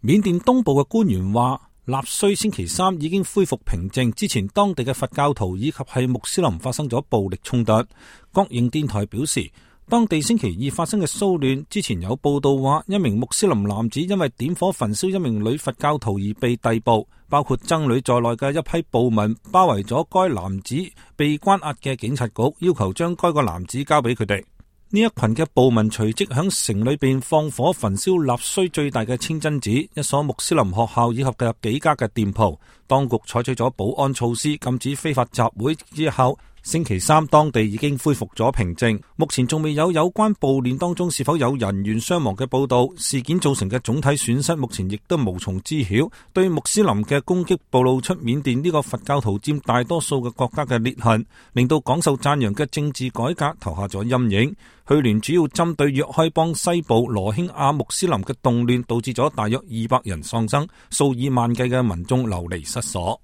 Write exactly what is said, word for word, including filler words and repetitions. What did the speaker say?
緬甸東部嘅官員話，納須星期三已經恢復平靜，之前當地嘅佛教徒以及係穆斯林發生咗暴力衝突。國營電台表示，當地星期二發生嘅騷亂，之前有報道話一名穆斯林男子因為點火焚燒一名女佛教徒而被逮捕，包括僧侶在內嘅一批暴民包圍咗該男子被關押嘅警察局，要求將該個男子交俾佢哋。呢一群嘅暴民隨即響城裏邊放火焚燒納須最大嘅清真寺、一所穆斯林學校以及嘅幾家嘅店鋪。當局採取咗保安措施，禁止非法集會之後，星期三當地已經恢復咗平靜。目前仲未有有關暴亂當中是否有人員傷亡嘅報道，事件造成嘅總體損失目前亦都無從知曉。對穆斯林嘅攻擊暴露出緬甸呢個佛教徒佔大多數嘅國家嘅裂痕，令到廣受讚揚嘅政治改革投下咗陰影。去年主要針對若開邦西部羅興亞穆斯林嘅動亂，導致咗大約二百人喪生，數以萬計嘅民眾流離失所。